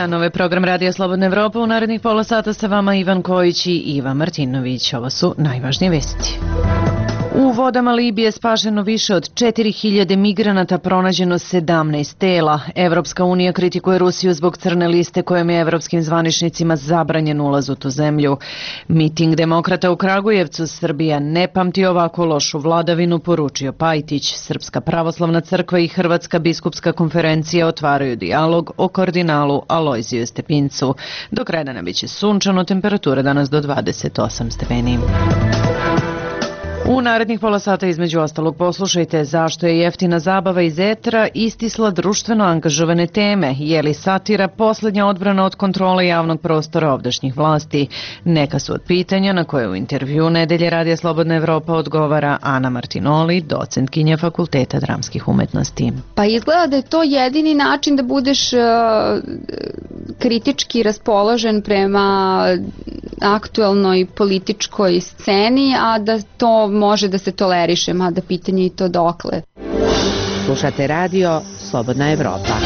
dan, ovo je program Radija Slobodna Evropa. U narednih pola sata sa vama Ivan Kojić i Iva Martinović. Ovo su najvažnije vesti. U vodama Libije spašeno više od 4000 migranata, pronađeno 17 tela. Evropska unija kritikuje Rusiju zbog crne liste kojom je evropskim zvaničnicima zabranjen ulaz u tu zemlju. Miting demokrata u Kragujevcu, Srbija ne pamti ovako lošu vladavinu, poručio Pajtić. Srpska pravoslavna crkva i Hrvatska biskupska konferencija otvaraju dijalog o kardinalu Alojziju Stepincu. Do kraja dana biće sunčano, temperatura danas do 28 stepeni. U narednih pola sata između ostalog poslušajte zašto je jeftina zabava iz etra istisla društveno angažovane teme, je li satira poslednja odbrana od kontrole javnog prostora ovdašnjih vlasti. Neka su od pitanja na koje u intervju Nedelje Radija Slobodna Evropa odgovara Ana Martinoli, docentkinja Fakulteta dramskih umetnosti. Pa izgleda da je to jedini način da budeš kritički raspoložen prema aktuelnoj političkoj sceni, a da to može da se toleriše, mada pitanje i to dokle. Slušate radio Slobodna Evropa.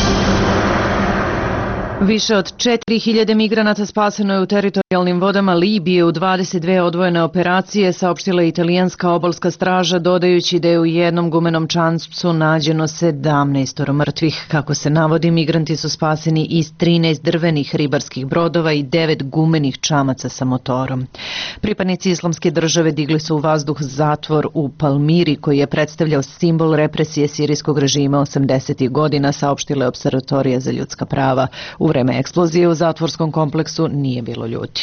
Više od 4000 migranata spaseno je u teritorijalnim vodama Libije u 22 odvojene operacije, saopštila italijanska obalska straža, dodajući da je u jednom gumenom čamcu nađeno 17 mrtvih. Kako se navodi, migranti su spaseni iz 13 drvenih ribarskih brodova i 9 gumenih čamaca sa motorom. Pripadnici Islamske države digli su u vazduh zatvor u Palmiri, koji je predstavljao simbol represije sirijskog režima 80. godina, saopštile Observatorija za ljudska prava. U vreme eksplozije u zatvorskom kompleksu nije bilo ljudi.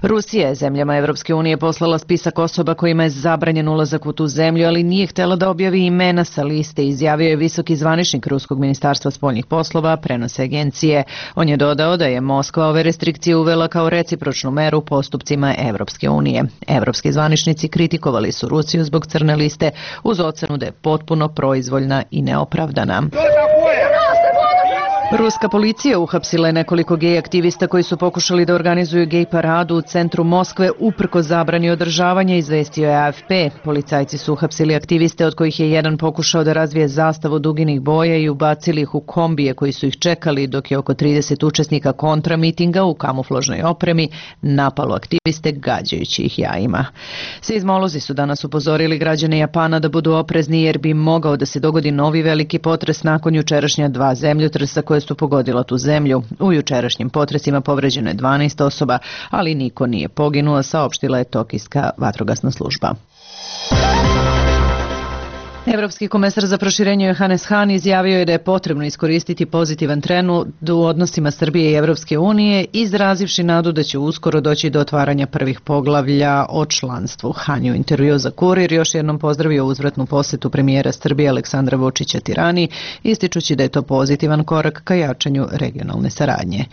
Rusija je zemljama Evropske unije poslala spisak osoba kojima je zabranjen ulazak u tu zemlju, ali nije htjela da objavi imena sa liste, izjavio je visoki zvaničnik Ruskog ministarstva spoljnih poslova, prenose agencije. On je dodao da je Moskva ove restrikcije uvela kao recipročnu meru postupcima Evropske unije. Evropski zvaničnici kritikovali su Rusiju zbog crne liste uz ocenu da je potpuno proizvoljna i neopravdana. Ruska policija uhapsila je nekoliko gej aktivista koji su pokušali da organizuju gej paradu u centru Moskve uprkos zabrani održavanja, izvestio je AFP. Policajci su uhapsili aktiviste od kojih je jedan pokušao da razvije zastavu duginih boja i ubacili ih u kombije koji su ih čekali, dok je oko 30 učesnika kontramitinga u kamuflažnoj opremi napalo aktiviste gađajući ih jajima. Seizmolozi su danas upozorili građane Japana da budu oprezni jer bi mogao da se dogodi novi veliki potres nakon jučerašnja 2 zemljotresa koje su pogodila tu zemlju. U jučerašnjim potresima povređeno je 12 osoba, ali niko nije poginuo, saopštila je Tokijska vatrogasna služba. Evropski komesar za proširenje Johannes Hahn izjavio je da je potrebno iskoristiti pozitivan trend u odnosima Srbije i Evropske unije, izrazivši nadu da će uskoro doći do otvaranja prvih poglavlja o članstvu. Hahn je u intervju za Kurir još jednom pozdravio uzvratnu posetu premijera Srbije Aleksandra Vučića Tirani, ističući da je to pozitivan korak ka jačanju regionalne saradnje.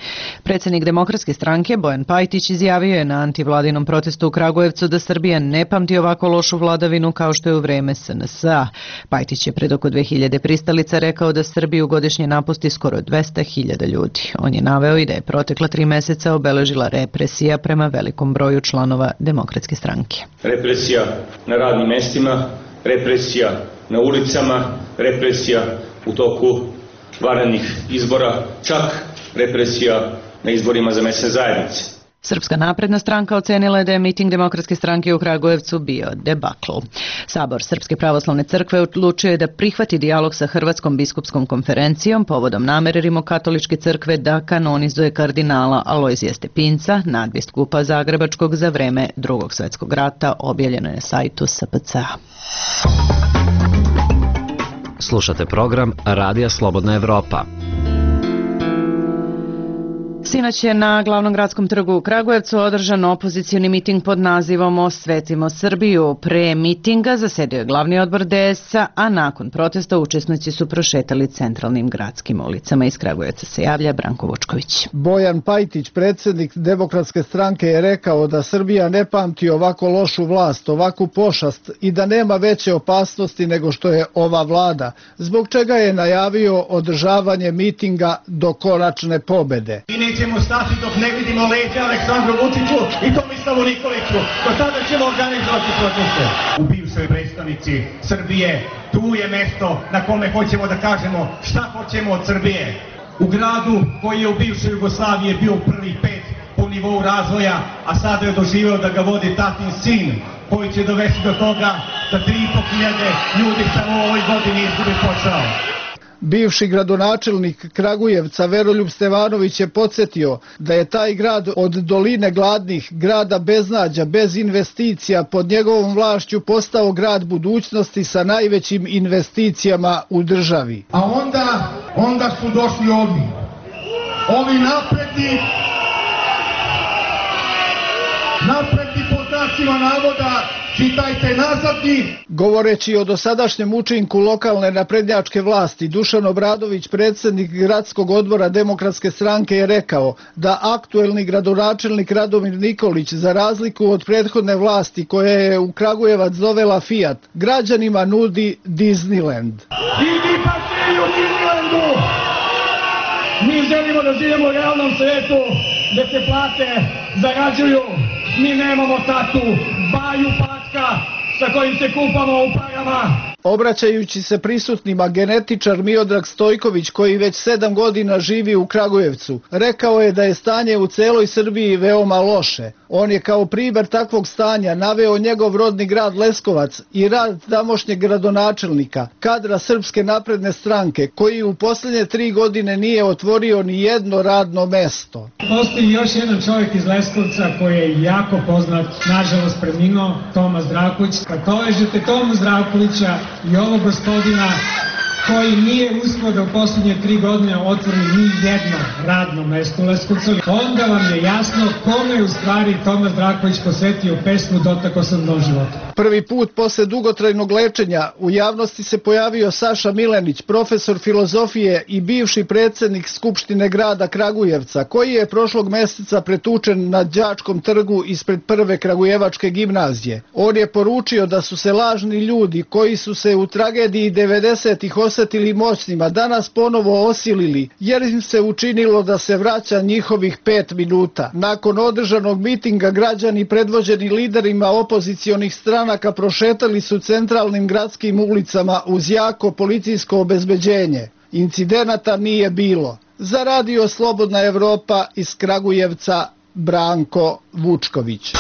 Predsjednik Demokratske stranke Bojan Pajtić izjavio je na antivladinom protestu u Kragujevcu da Srbija ne pamti ovako lošu vladavinu kao što je u vreme SNS-a. Pajtić je pred oko 2000 pristalica rekao da Srbiju godišnje napusti skoro 200.000 ljudi. On je naveo i da je protekla 3 meseca obeležila represija prema velikom broju članova Demokratske stranke. Represija na radnim mestima, represija na ulicama, represija u toku vanrednih izbora, čak represija na izborima za mesne zajednice. Srpska napredna stranka ocenila je da je miting Demokratske stranke u Kragujevcu bio debakl. Sabor Srpske pravoslavne crkve odlučio je da prihvati dijalog sa Hrvatskom biskupskom konferencijom povodom namere Rimokatoličke crkve da kanonizuje kardinala Alojzija Stepinca, nadbiskupa Zagrebačkog za vreme Drugog svjetskog rata, objavljeno je na sajtu SPC-a. Slušate program Radija Slobodna Evropa. Sinoć je na glavnom gradskom trgu u Kragujevcu održan opozicioni miting pod nazivom Osvetimo Srbiju. Pre mitinga zasedio je glavni odbor DS-a, a nakon protesta učesnici su prošetali centralnim gradskim ulicama. Iz Kragujevca se javlja Branko Vučković. Bojan Pajtić, predsjednik Demokratske stranke, je rekao da Srbija ne pamti ovako lošu vlast, ovakvu pošast i da nema veće opasnosti nego što je ova vlada, zbog čega je najavio održavanje mitinga do konačne pobede. Nećemo stati dok ne vidimo leđa Aleksandru Vučiću i Tomislavu Nikoliću. Do tada ćemo organizovati proteste. U bivšoj prestonici Srbije, tu je mesto na kome hoćemo da kažemo šta hoćemo od Srbije. u gradu koji je u bivšoj Jugoslaviji bio u prvih 5 po nivou razvoja, a sada je doživeo da ga vodi tatin sin, koji će dovesti do toga da 3.500 ljudi samo u ovoj godini izgubi posao. Bivši gradonačelnik Kragujevca Veroljub Stevanović je podsjetio da je taj grad od doline gladnih, grada beznađa, bez investicija, pod njegovom vlašću postao grad budućnosti sa najvećim investicijama u državi. A onda su došli ovi napredni pod znacima navoda, čitajte nazadni. Govoreći o dosadašnjem učinku lokalne naprednjačke vlasti, Dušan Obradović, predsjednik gradskog odbora Demokratske stranke, je rekao da aktuelni gradonačelnik Radomir Nikolić, za razliku od prethodne vlasti koja je u Kragujevac dovela Fiat, građanima nudi Disneyland. Idi pa se u Disneylandu! Mi želimo da živimo u realnom svijetu, gdje se plate zarađuju. Mi nemamo tatu, baju patka sa kojim se kupamo u parama. Obraćajući se prisutnima, genetičar Miodrag Stojković, koji već 7 godina živi u Kragujevcu, rekao je da je stanje u celoj Srbiji veoma loše. On je kao primjer takvog stanja naveo njegov rodni grad Leskovac i rad tamošnjeg gradonačelnika, kadra Srpske napredne stranke, koji u posljednje 3 godine nije otvorio ni jedno radno mesto. Postoji još jedan čovjek iz Leskovca koji je jako poznat, nažalost preminuo, Toma Zdravković. Kad povežete Tomu Zdravkovića i ovog gospodina koji nije uspio da u posljednje 3 godine otvori ni jedno radno mesto u Leskovcu, onda vam je jasno kome je u stvari Toma Zdravković posvetio pesmu Dotakao sam dno života. Prvi put posle dugotrajnog lečenja u javnosti se pojavio Saša Milenić, profesor filozofije i bivši predsjednik Skupštine grada Kragujevca, koji je prošlog mjeseca pretučen na Đačkom trgu ispred prve Kragujevačke gimnazije. On je poručio da su se lažni ljudi koji su se u tragediji 90-ih osjetili moćnima danas ponovo osilili, jer im se učinilo da se vraća njihovih 5 minuta. Nakon održanog mitinga, građani predvođeni liderima opozicionih stranaka prošetali su centralnim gradskim ulicama uz jako policijsko obezbeđenje. Incidenata nije bilo. Za Radio Slobodna Evropa iz Kragujevca, Branko Vučković.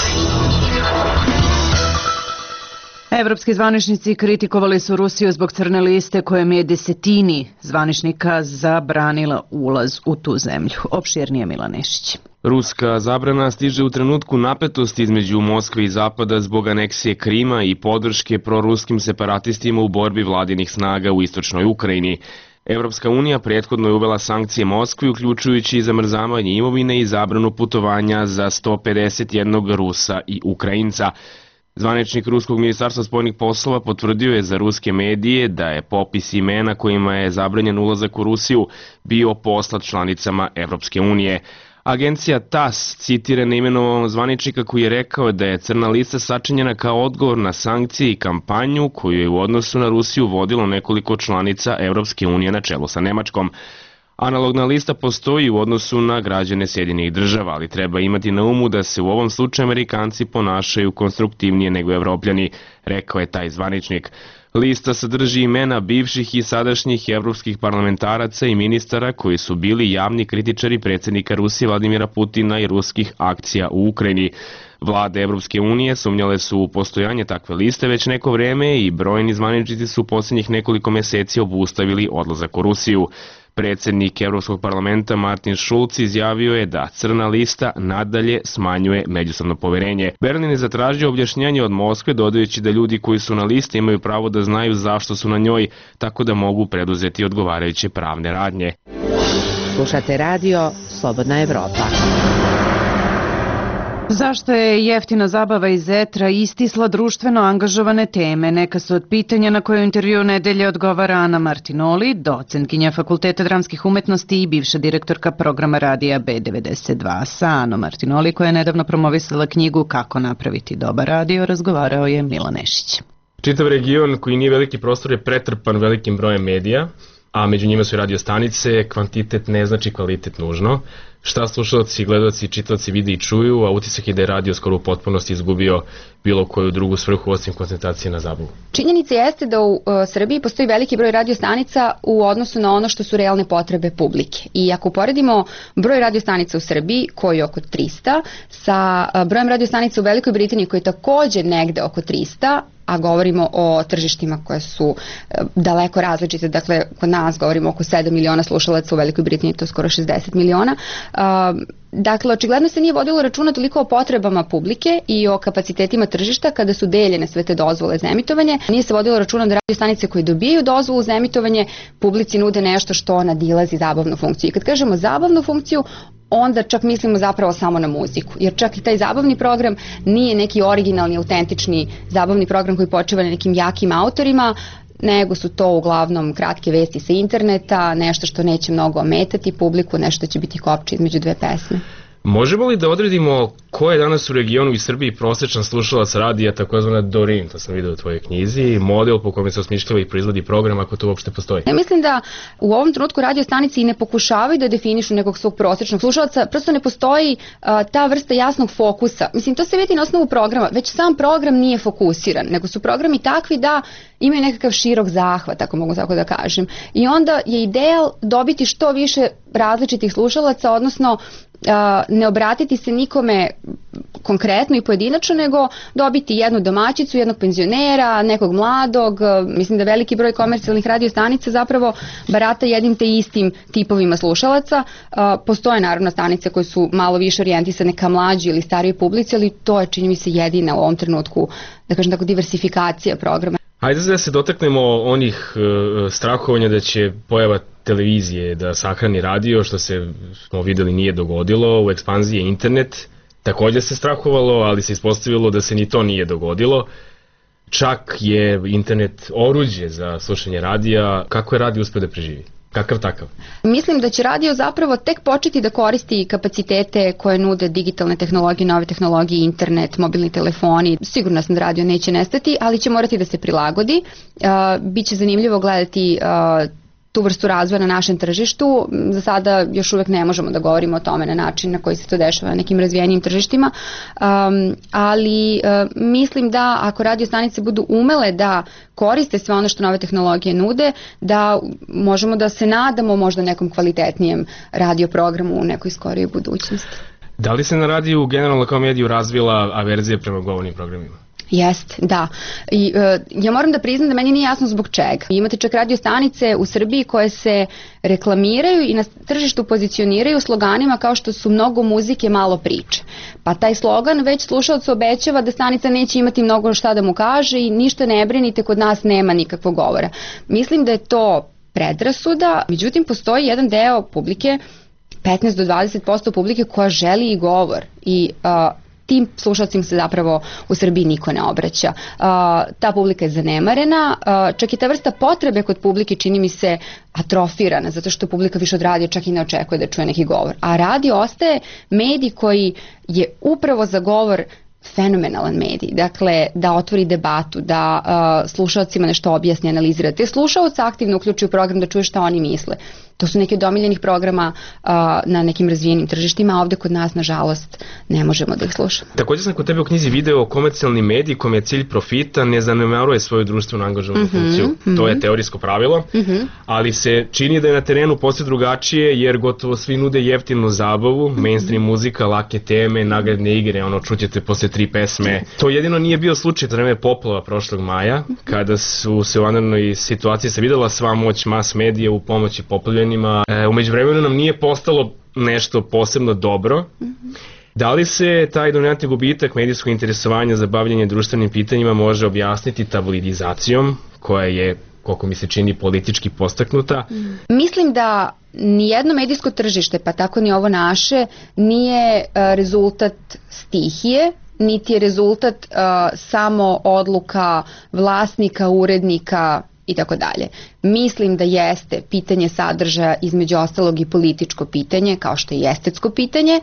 Evropski zvaničnici kritikovali su Rusiju zbog crne liste kojom je desetini zvaničnika zabranila ulaz u tu zemlju. Opširnije Milan Nešić. Ruska zabrana stiže u trenutku napetosti između Moskve i Zapada zbog aneksije Krima i podrške proruskim separatistima u borbi vladinih snaga u istočnoj Ukrajini. Evropska unija prethodno je uvela sankcije Moskvi, uključujući i zamrzavanje imovine i zabranu putovanja za 151 Rusa i Ukrajinca. Zvaničnik Ruskog ministarstva spoljnih poslova potvrdio je za ruske medije da je popis imena kojima je zabranjen ulazak u Rusiju bio poslat članicama Evropske unije. Agencija TASS citira neimenovanog zvaničnika koji je rekao da je crna lista sačinjena kao odgovor na sankcije i kampanju koju je u odnosu na Rusiju vodilo nekoliko članica Evropske unije na čelu sa Nemačkom. Analogna lista postoji u odnosu na građane Sjedinjenih Država, ali treba imati na umu da se u ovom slučaju Amerikanci ponašaju konstruktivnije nego Evropljani, rekao je taj zvaničnik. Lista sadrži imena bivših i sadašnjih evropskih parlamentaraca i ministara koji su bili javni kritičari predsjednika Rusije Vladimira Putina i ruskih akcija u Ukrajini. Vlade Evropske unije sumnjale su u postojanje takve liste već neko vreme i brojni zvaničnici su u posljednjih nekoliko mjeseci obustavili odlazak u Rusiju. Predsjednik Evropskog parlamenta Martin Schulz izjavio je da crna lista nadalje smanjuje međusobno poverenje. Berlin je zatražio objašnjenje od Moskve, dodajući da ljudi koji su na listi imaju pravo da znaju zašto su na njoj, tako da mogu preduzeti odgovarajuće pravne radnje. Slušate radio Slobodna Evropa. Zašto je jeftina zabava iz etra istisla društveno angažovane teme? Neka su od pitanja na koje u intervju nedelje odgovara Ana Martinoli, docentkinja Fakulteta dramskih umetnosti i bivša direktorka programa radija B92. Sa Anom Martinoli, koja je nedavno promovisala knjigu Kako napraviti dobar radio, razgovarao je Milan Nešić. Čitav region koji nije veliki prostor je pretrpan velikim brojem medija. a među njima su i radio stanice, kvantitet ne znači kvalitet nužno. Šta slušalci, gledalci, čitaoci vide i čuju, a utisak je da je radio skoro u potpunosti izgubio bilo koju drugu svrhu osim koncentracije na zabavu. Činjenica jeste da u Srbiji postoji veliki broj radio stanica u odnosu na ono što su realne potrebe publike. I ako uporedimo broj radio stanica u Srbiji, koji je oko 300, sa brojem radio stanica u Velikoj Britaniji, koji je takođe negde oko 300, a govorimo o tržištima koje su daleko različite, dakle kod nas govorimo oko 7 miliona slušalaca, u Velikoj Britaniji to skoro 60 miliona. Dakle, očigledno se nije vodilo računa toliko o potrebama publike i o kapacitetima tržišta kada su deljene sve te dozvole za emitovanje. Nije se vodilo računa da radio stanice koje dobijaju dozvolu za emitovanje publici nude nešto što nadilazi zabavnu funkciju. I kad kažemo zabavnu funkciju, onda čak mislimo zapravo samo na muziku, jer čak i taj zabavni program nije neki originalni, autentični zabavni program koji počiva na nekim jakim autorima, nego su to uglavnom kratke vesti sa interneta, nešto što neće mnogo ometati publiku, nešto će biti kopče između dve pesme. Možemo li da odredimo ko je danas u regionu i Srbiji prosečan slušalac radija, takozvana Dorin, to sam vidio u tvojoj knjizi, model po kome se osmišljava i proizvodi program, ako to uopšte postoji? Ja mislim da u ovom trenutku radio stanice i ne pokušavaju da definišu nekog svog prosečnog slušalaca, prosto ne postoji ta vrsta jasnog fokusa. Mislim, to se vidi na osnovu programa, već sam program nije fokusiran, nego su programi takvi da imaju nekakav širok zahvat, ako mogu tako da kažem. I onda je ideal dobiti što više različitih slušalaca, odnosno ne obratiti se nikome konkretno i pojedinačno, nego dobiti jednu domaćicu, jednog penzionera, nekog mladog. Mislim da veliki broj komercijalnih radio stanica zapravo barata jednim te istim tipovima slušalaca. Postoje naravno stanice koje su malo više orijentisane ka mlađi ili starijoj publici, ali to je, čini mi se, jedina u ovom trenutku, da kažem tako, diversifikacija programa. Hajde da se dotaknemo onih strahovanja da će pojava televizije da sahrani radio, što se, smo videli, nije dogodilo. U ekspanziji je internet, također se strahovalo, ali se ispostavilo da se ni to nije dogodilo. Čak je internet oruđe za slušanje radija. Kako je radio uspio da preživi? Kakav takav? Mislim da će radio zapravo tek početi da koristi kapacitete koje nude digitalne tehnologije, nove tehnologije, internet, mobilni telefoni. Sigurno sam da radio neće nestati, ali će morati da se prilagodi. Biće zanimljivo gledati tu vrstu razvoja na našem tržištu. Za sada još uvek ne možemo da govorimo o tome na način na koji se to dešava na nekim razvijenijim tržištima, ali mislim da ako radio stanice budu umele da koriste sve ono što nove tehnologije nude, da možemo da se nadamo možda nekom kvalitetnijem radio programu u nekoj skorijoj budućnosti. Da li se na radiju generalno kao mediju razvila averzija prema govornim programima? Jeste, da. I ja moram da priznam da meni nije jasno zbog čega. Imate čak radio stanice u Srbiji koje se reklamiraju i na tržištu pozicioniraju sloganima kao što su mnogo muzike, malo priče. Pa taj slogan već slušalac obećava da stanica neće imati mnogo šta da mu kaže i ništa ne brinite, kod nas nema nikakvog govora. Mislim da je to predrasuda, međutim postoji jedan deo publike, 15 do 20% publike koja želi i govor i tim slušalcima se zapravo u Srbiji niko ne obraća. Ta publika je zanemarena, čak i ta vrsta potrebe kod publike čini mi se atrofirana, zato što publika više od radija čak i ne očekuje da čuje neki govor. A radio ostaje medij koji je upravo za govor fenomenalan medij, dakle da otvori debatu, da slušalcima nešto objasni, analizira. Te slušalce aktivno uključuju u program da čuje šta oni misle. To su neki od omiljenih programa na nekim razvijenim tržištima, a ovde kod nas, nažalost, ne možemo da ih slušamo. Također sam kod tebe u knjizi video komercijalni medij kome je cilj profita ne zanemaruje svoju društvenu angažovanu funkciju. To je teorijsko pravilo, ali se čini da je na terenu posve drugačije, jer gotovo svi nude jeftinu zabavu, mainstream muzika, lake teme, nagradne igre, ono čućete posle 3 pesme. To jedino nije bio slučaj vreme poplava prošlog maja, kada su se u vanrednoj situaciji se videla sva moć mas medija u pomoći poplavljenima. Umeđu vremenu nam nije postalo nešto posebno dobro. Da li se taj dominantni gubitak medijskog interesovanja za bavljanje društvenim pitanjima može objasniti tabloidizacijom, koja je, koliko mi se čini, politički postaknuta? Mislim da nijedno medijsko tržište, pa tako ni ovo naše, nije rezultat stihije, niti je rezultat samo odluka vlasnika, urednika i tako dalje. Mislim da jeste pitanje sadržaja, između ostalog i političko pitanje, kao što je i estetsko pitanje,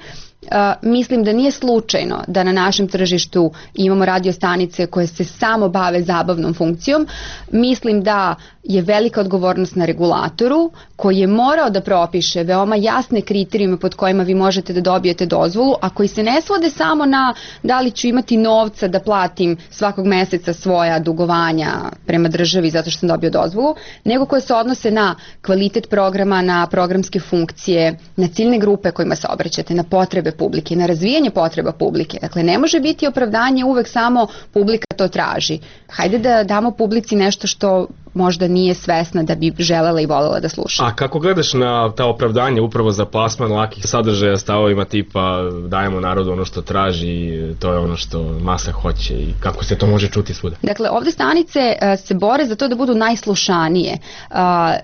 Mislim da nije slučajno da na našem tržištu imamo radio stanice koje se samo bave zabavnom funkcijom. Mislim da je velika odgovornost na regulatoru koji je morao da propiše veoma jasne kriterijume pod kojima vi možete da dobijete dozvolu, a koji se ne svode samo na da li ću imati novca da platim svakog meseca svoja dugovanja prema državi zato što sam dobio dozvolu, nego koje se odnose na kvalitet programa, na programske funkcije, na ciljne grupe kojima se obraćate, na potrebe publike, na razvijanje potreba publike. Dakle, ne može biti opravdanje uvek samo publika to traži. Hajde da damo publici nešto što možda nije svesna da bi želela i volela da sluša. A kako gledaš na ta opravdanja upravo za plasman lakih sadržaja stavovima tipa dajemo narodu ono što traži, to je ono što masa hoće i kako se to može čuti svuda? Dakle, ovde stanice se bore za to da budu najslušanije,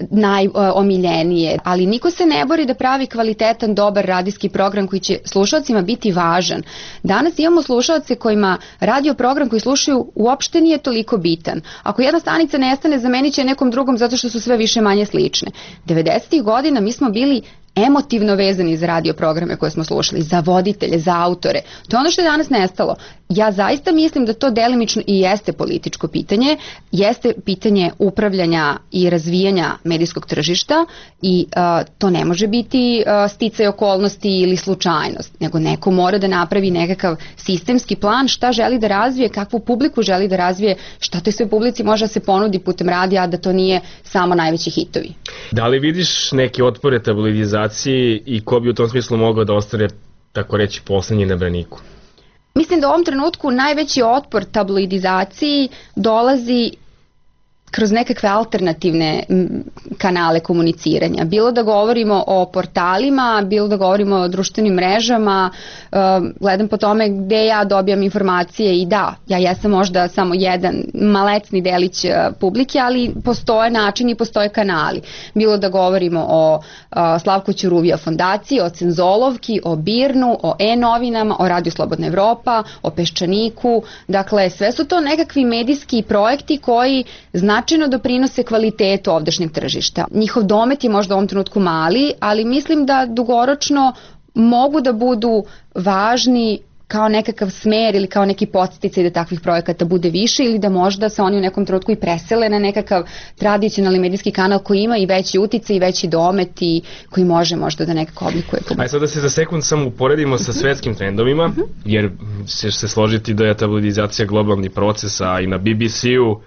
najomiljenije, ali niko se ne bori da pravi kvalitetan, dobar radijski program koji će slušalcima biti važan. Danas imamo slušalce kojima radio program koji slušaju uopšte nije toliko bitan. Ako jedna stanica nestane, zamenit će nekom drugom zato što su sve više manje slične. 90. godina mi smo bili emotivno vezani za radio programe koje smo slušali, za voditelje, za autore. To je ono što je danas nestalo. Ja zaista mislim da to delimično i jeste političko pitanje, jeste pitanje upravljanja i razvijanja medijskog tržišta i to ne može biti sticaj okolnosti ili slučajnost, nego neko mora da napravi nekakav sistemski plan šta želi da razvije, kakvu publiku želi da razvije, šta toj sve publici može da se ponudi putem radija, da to nije samo najveći hitovi. Da li vidiš neke otpore tabloidizacije i ko bi u tom smislu mogao da ostane, tako reći, poslednji na braniku? Mislim da u ovom trenutku najveći otpor tabloidizaciji dolazi kroz nekakve alternativne kanale komuniciranja. Bilo da govorimo o portalima, bilo da govorimo o društvenim mrežama, gledam po tome gde ja dobijam informacije i da, ja jesam možda samo jedan malecni delić publike, ali postoje načini i postoje kanali. Bilo da govorimo o Slavko Ćuruvija fondaciji, o Cenzolovki, o Birnu, o E-novinama, o Radio Slobodna Evropa, o Peščaniku. Dakle, sve su to nekakvi medijski projekti koji značajno doprinose kvalitetu ovdašnjeg tržišta. Njihov domet je možda u ovom trenutku mali, ali mislim da dugoročno mogu da budu važni kao nekakav smer ili kao neki podsticaj da takvih projekata bude više ili da možda se oni u nekom trenutku i presele na nekakav tradicionalni medijski kanal koji ima i veći uticaj i veći domet i koji može možda da nekako oblikuje publiku. Ajde sad da se za sekund samo uporedimo sa svetskim trendovima, jer ćeš se složiti da je tabloidizacija globalni proces, a i na BBC-u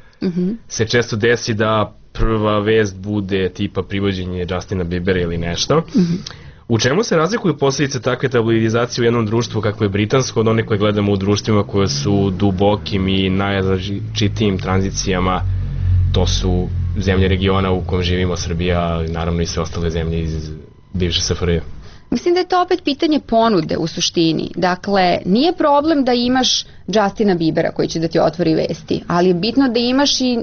se često desi da prva vest bude tipa privođenje Justina Biebera ili nešto. U čemu se razlikuju posljedice takve tabloidizacije u jednom društvu kako je britansko od one koje gledamo u društvima koje su dubokim i najrazličitijim tranzicijama? To su zemlje regiona u kojem živimo, Srbija, naravno i sve ostale zemlje iz bivše SFRJ. Mislim da je to opet pitanje ponude u suštini. Dakle, nije problem da imaš Justina Biebera koji će da ti otvori vesti, ali je bitno da imaš i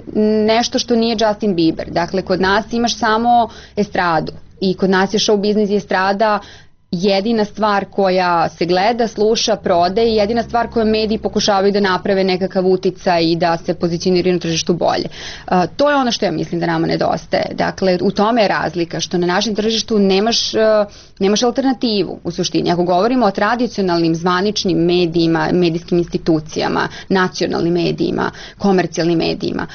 nešto što nije Justin Bieber. Dakle, kod nas imaš samo estradu i kod nas je show biznis i estrada jedina stvar koja se gleda, sluša, prode i jedina stvar koju mediji pokušavaju da naprave nekakav uticaj i da se pozicioniraju na tržištu bolje. To je ono što ja mislim da nama nedostaje. Dakle, u tome je razlika, što na našem tržištu nemaš alternativu u suštini. Ako govorimo o tradicionalnim zvaničnim medijima, medijskim institucijama, nacionalnim medijima, komercijalnim medijima,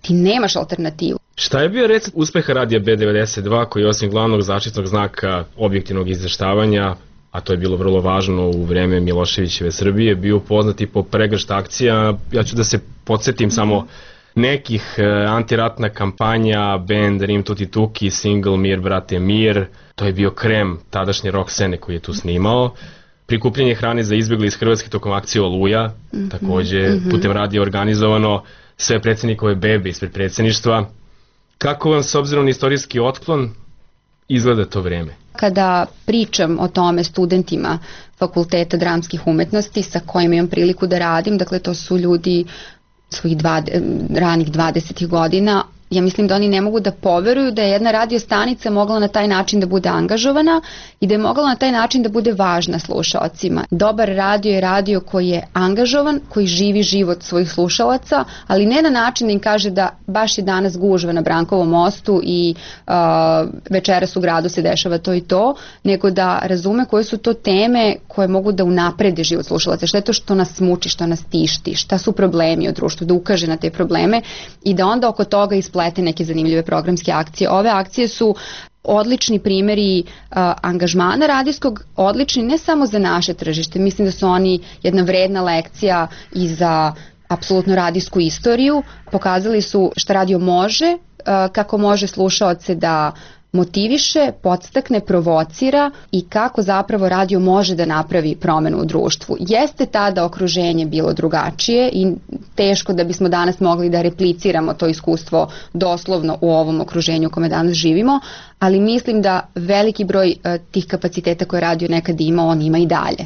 ti nemaš alternativu. Šta je bio recept uspeha radija B92 koji osim glavnog zaštitnog znaka objektivnog izveštavanja, a to je bilo vrlo važno u vreme Miloševićeve Srbije, bio poznat i po pregršt akcija? Ja ću da se podsjetim samo nekih: antiratna kampanja, band Rim Tuti Tuki, single Mir brate Mir, to je bio krem tadašnje rock scene koji je tu snimao. Prikupljanje hrane za izbjegli iz Hrvatske tokom akcije Oluja, takođe putem radija organizovano, sve predsjednikove bebe ispred predsjedništva. Kako vam, s obzirom na istorijski otklon, izgleda to vreme? Kada pričam o tome studentima Fakulteta dramskih umetnosti sa kojima imam priliku da radim, dakle to su ljudi svojih ranih 20. godina, ja mislim da oni ne mogu da poveruju da je jedna radio stanica mogla na taj način da bude angažovana i da je mogla na taj način da bude važna slušaocima. Dobar radio je radio koji je angažovan, koji živi život svojih slušalaca, ali ne na način da im kaže da baš je danas gužva na Brankovom mostu i večeras u gradu se dešava to i to, nego da razume koje su to teme koje mogu da unaprede život slušalaca, šta je to što nas muči, što nas tišti, šta su problemi u društvu, da ukaže na te probleme i da onda oko toga isplete neke zanimljive programske akcije. Ove akcije su odlični primjeri angažmana radijskog, odlični ne samo za naše tržište, mislim da su oni jedna vredna lekcija i za apsolutno radijsku istoriju, pokazali su šta radio može, kako može slušaoce da motiviše, podstakne, provocira i kako zapravo radio može da napravi promenu u društvu. Jeste tada okruženje bilo drugačije i teško da bismo danas mogli da repliciramo to iskustvo doslovno u ovom okruženju u kome danas živimo, ali mislim da veliki broj tih kapaciteta koje radio nekad ima, on ima i dalje.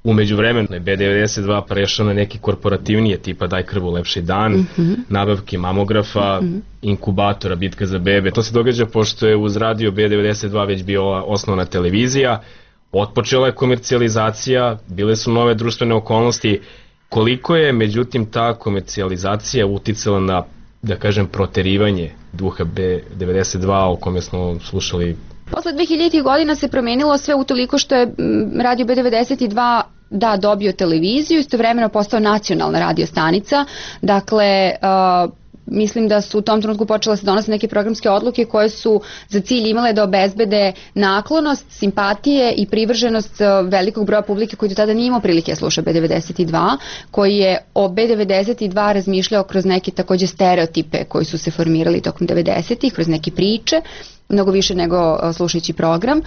U međuvremenu je B92 prešao na neki korporativnije tipa Daj krvu lepši dan, nabavke mamografa, inkubatora, bitka za bebe. To se događa pošto je uz radio B92 već bila osnovna televizija, otpočela je komercijalizacija, bile su nove društvene okolnosti. Koliko je međutim ta komercijalizacija uticala na, da kažem, proterivanje duha B92 o kome smo slušali? Posle 2000. godina se promenilo sve utoliko što je radio B92 dobio televiziju, istovremeno postao nacionalna radio stanica. Dakle, mislim da su u tom trenutku počela se donose neke programske odluke koje su za cilj imale da obezbede naklonost, simpatije i privrženost velikog broja publike koji do tada nije imao prilike sluša B92, koji je o B92 razmišljao kroz neke takođe stereotipe koji su se formirali tokom 90-ih, kroz neke priče, mnogo više nego slušajući program.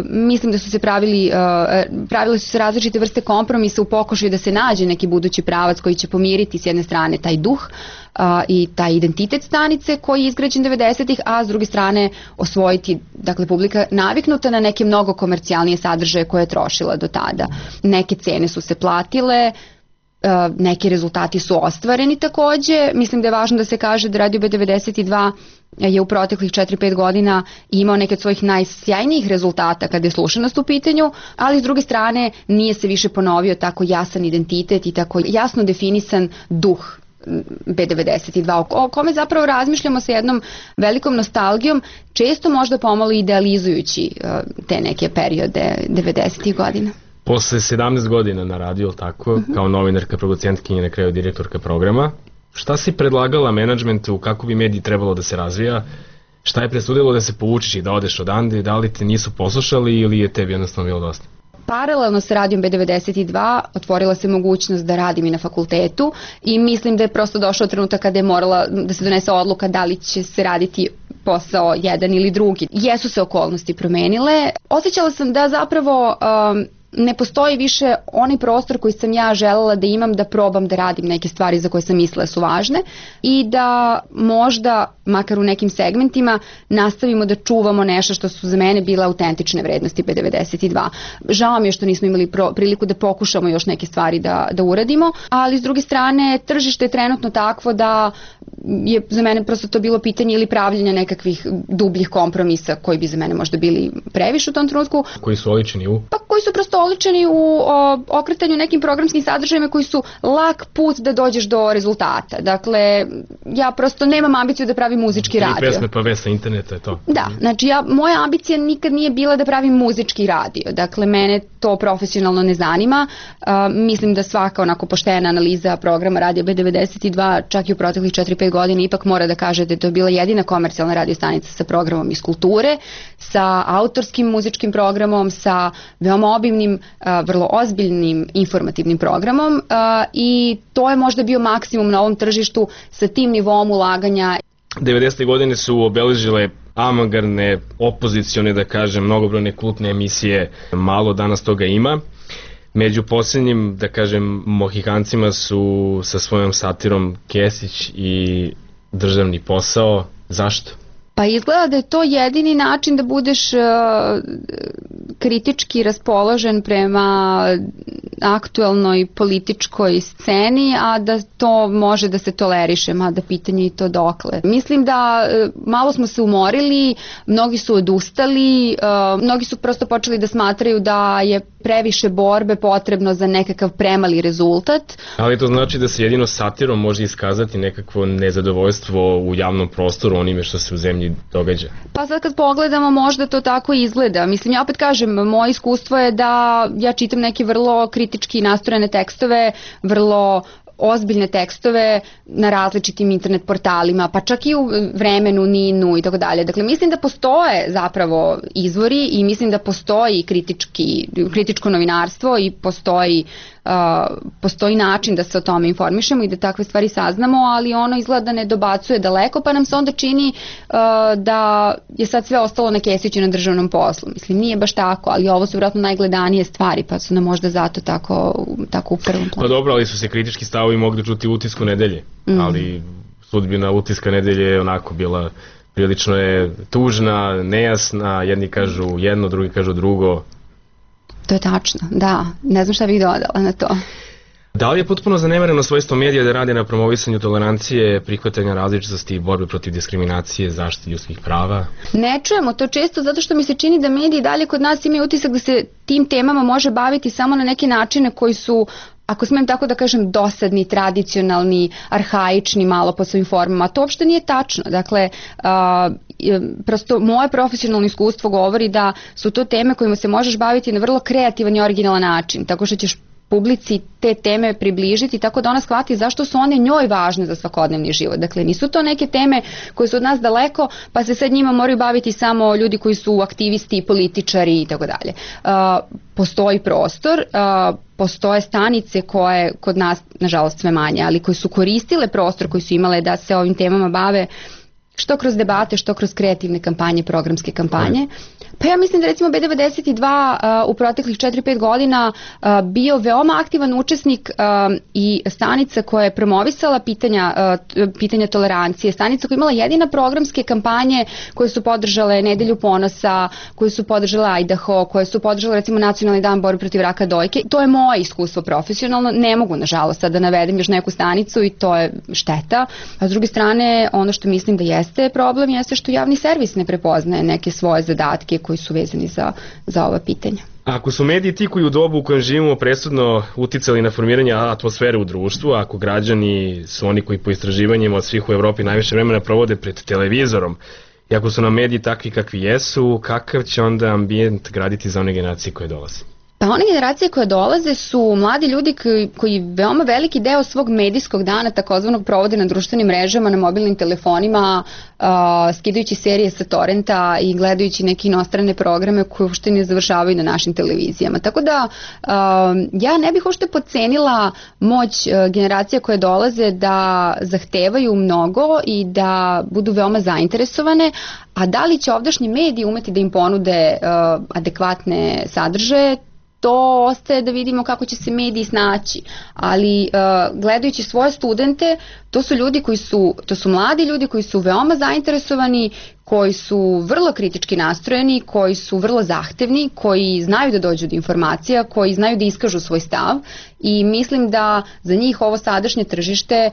Mislim da su se pravile su se različite vrste kompromisa u pokušaju da se nađe neki budući pravac koji će pomiriti s jedne strane taj duh i taj identitet stanice koji je izgrađen 90-ih, a s druge strane osvojiti, dakle, publika naviknuta na neke mnogo komercijalnije sadržaje koje je trošila do tada. Neke cene su se platile, neki rezultati su ostvareni takođe. Mislim da je važno da se kaže da radio B92 je u proteklih 4-5 godina imao neke od svojih najsjajnijih rezultata kada je slušanost u pitanju, ali s druge strane nije se više ponovio tako jasan identitet i tako jasno definisan duh B92, o kome zapravo razmišljamo sa jednom velikom nostalgijom, često možda pomalo idealizujući te neke periode 90-ih godina. Posle 17 godina na radiju, tako, kao novinarka, producentkinja, na kraju direktorka programa, šta si predlagala menadžmentu, kako bi mediji trebalo da se razvija, šta je presudilo da se povučiš i da odeš odande, da li te nisu poslušali ili je tebi jednostavno bilo dosta? Paralelno sa radijom B92 otvorila se mogućnost da radim i na fakultetu i mislim da je prosto došao trenutak kada je morala da se donese odluka da li će se raditi posao jedan ili drugi. Jesu se okolnosti promenile. Osjećala sam da zapravo ne postoji više onaj prostor koji sam ja želela da imam, da probam da radim neke stvari za koje sam mislila su važne i da možda, makar u nekim segmentima, nastavimo da čuvamo nešto što su za mene bile autentične vrednosti B92. Žao mi je što nismo imali priliku da pokušamo još neke stvari da uradimo, ali s druge strane tržište je trenutno takvo da je za mene prosto to bilo pitanje ili pravljenja nekakvih dubljih kompromisa koji bi za mene možda bili previše u tom trenutku. Koji su oličeni u? Pa koji su prosto oličeni u okretanju nekim programskim sadržajima koji su lak put da dođeš do rezultata. Dakle, ja prosto nemam ambiciju da pravim muzički radio. 3 pesme pa vest sa interneta je to. Da, znači moja ambicija nikad nije bila da pravim muzički radio. Dakle, mene to profesionalno ne zanima. Mislim da svaka onako poštena analiza programa radija B92 čak i u proteklih 4-5 godina ipak mora da kaže da je to bila jedina komercijalna radio stanica sa programom iz kulture, sa autorskim muzičkim programom, sa veoma obimnim, vrlo ozbiljnim informativnim programom i to je možda bio maksimum na ovom tržištu sa tim nivom ulaganja. 90. godine su obeležile avangardne, opozicione, da kažem, mnogobrojne kultne emisije, malo danas toga ima. Među posljednjim, da kažem, mohikancima su sa svojom satirom Kesić i Državni posao. Zašto? Pa izgleda da je to jedini način da budeš kritički raspoložen prema aktuelnoj političkoj sceni, a da to može da se toleriše, mada pitanje i to dokle. Mislim da malo smo se umorili, mnogi su odustali, mnogi su prosto počeli da smatraju da je previše borbe potrebno za nekakav premali rezultat. Ali to znači da se jedino satirom može iskazati nekakvo nezadovoljstvo u javnom prostoru onime što se u zemlji događa? Pa sad kad pogledamo možda to tako izgleda. Mislim, ja opet kažem, moje iskustvo je da ja čitam neke vrlo kritički nastrojene tekstove, vrlo ozbiljne tekstove na različitim internet portalima, pa čak i u Vremenu, Ninu i tako dalje. Dakle, mislim da postoje zapravo izvori i mislim da postoji kritičko novinarstvo i postoji način da se o tome informišemo i da takve stvari saznamo, ali ono izgleda da ne dobacuje daleko, pa nam se onda čini da je sad sve ostalo na Kesiću na državnom poslu. Mislim, nije baš tako, ali ovo su vjerojatno najgledanije stvari, pa su nam možda zato tako u prvom planu. Pa dobro, ali su se kritički stavovi mogli čuti u Utisku nedelje, ali sudbina Utiska nedelje je onako bila prilično je tužna, nejasna, jedni kažu jedno, drugi kažu drugo. To je tačno, da. Ne znam šta bih dodala na to. Da li je potpuno zanemareno svojstvo medija da radi na promovisanju tolerancije, prihvatanja različitosti i borbe protiv diskriminacije, zaštite ljudskih prava? Ne čujemo to često zato što mi se čini da mediji dalje kod nas imaju utisak da se tim temama može baviti samo na neke načine koji su, ako smijem tako da kažem, dosadni, tradicionalni, arhaični malo po svojim formama. To uopšte nije tačno. Dakle, prosto moje profesionalno iskustvo govori da su to teme kojima se možeš baviti na vrlo kreativan i originalan način, tako što ćeš publici te teme približiti tako da ona shvati zašto su one njoj važne za svakodnevni život. Dakle, nisu to neke teme koje su od nas daleko, pa se sad njima moraju baviti samo ljudi koji su aktivisti, političari i tako dalje. Postoji prostor, postoje stanice koje kod nas, nažalost sve manje, ali koje su koristile prostor koji su imale da se ovim temama bave što kroz debate, što kroz kreativne kampanje, programske kampanje. Pa ja mislim da recimo B92 u proteklih 4-5 godina bio veoma aktivan učesnik i stanica koja je promovisala pitanja tolerancije, stanica koja je imala jedina programske kampanje koje su podržale Nedelju ponosa, koje su podržale Idaho, koje su podržale recimo Nacionalni dan borbe protiv raka dojke. To je moje iskustvo profesionalno, ne mogu nažalost sad da navedem još neku stanicu i to je šteta. A s druge strane, ono što mislim da jeste problem jeste što javni servis ne prepoznaje neke svoje zadatke koji su vezani za ova pitanja. Ako su mediji ti koji u dobu u kojem živimo presudno uticali na formiranje atmosfere u društvu, ako građani su oni koji po istraživanjima od svih u Evropi najviše vremena provode pred televizorom, i ako su nam mediji takvi kakvi jesu, kakav će onda ambijent graditi za one generacije koje dolaze? Pa one generacije koje dolaze su mladi ljudi koji veoma veliki deo svog medijskog dana takozvanog provode na društvenim mrežama, na mobilnim telefonima, skidajući serije sa torrenta i gledajući neke inostrane programe koje uopšte ne završavaju na našim televizijama. Tako da ja ne bih uopšte podcenila moć generacija koje dolaze da zahtevaju mnogo i da budu veoma zainteresovane, a da li će ovdašnji mediji umeti da im ponude adekvatne sadržaje, to ostaje da vidimo kako će se mediji snaći, ali gledajući svoje studente, to su mladi ljudi koji su veoma zainteresovani, koji su vrlo kritički nastrojeni, koji su vrlo zahtevni, koji znaju da dođu do informacija, koji znaju da iskažu svoj stav i mislim da za njih ovo sadašnje tržište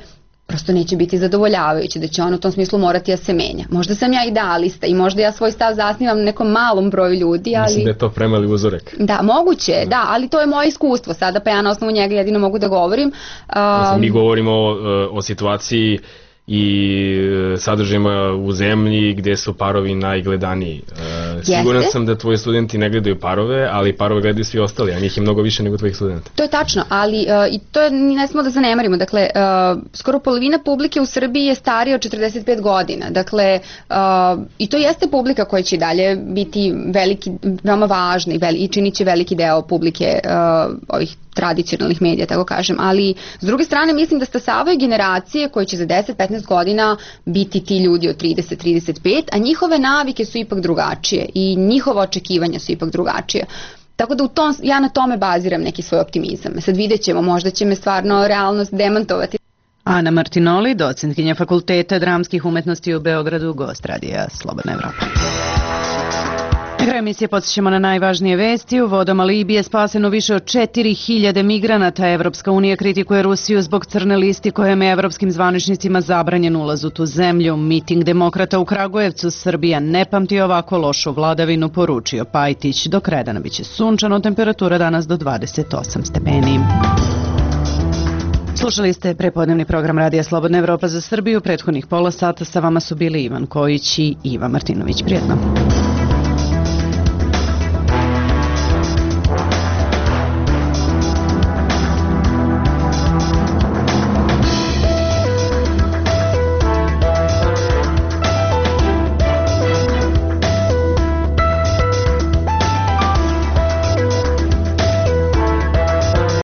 prosto neće biti zadovoljavajuće, da će on u tom smislu morati da se menja. Možda sam ja idealista i možda ja svoj stav zasnivam na nekom malom broju ljudi, ali... Mislim da je to premali uzorak. Da, moguće, da, ali to je moje iskustvo sada, pa ja na osnovu njega jedino mogu da govorim. Mi govorimo o situaciji i sadržajima u zemlji gde su parovi najgledaniji. Siguran sam da tvoji studenti ne gledaju parove, ali parove gledaju svi ostali, a njih je mnogo više nego tvojih studenta. To je tačno, ali i to je, ne smemo da zanemarimo. Dakle, skoro polovina publike u Srbiji je starija od 45 godina. Dakle, i to jeste publika koja će dalje biti veoma važna i činit će veliki deo publike ovih tradicionalnih medija, tako kažem, ali s druge strane mislim da stasavaju generacije koje će za 10-15 godina biti ti ljudi od 30-35, a njihove navike su ipak drugačije i njihova očekivanja su ipak drugačije. Tako da ja na tome baziram neki svoj optimizam. Sad vidjet ćemo, možda će me stvarno realnost demantovati. Ana Martinoli, docentkinja Fakulteta dramskih umetnosti u Beogradu, gost radija Slobodna Evropa. Kraj emisije podsjećamo na najvažnije vesti. U vodama Libije spaseno više od 4000 migranata. Evropska unija kritikuje Rusiju zbog crne listi kojom je evropskim zvaničnicima zabranjen ulaz u tu zemlju. Miting demokrata u Kragujevcu. Srbija ne pamti ovako lošu vladavinu, poručio Pajtić. Do kraja dana biće sunčano, temperatura danas do 28 stepeni. Slušali ste prepodnevni program Radija Slobodna Evropa za Srbiju. Prethodnih pola sata sa vama su bili Ivan Kojić i Iva Martinović. Prijetno.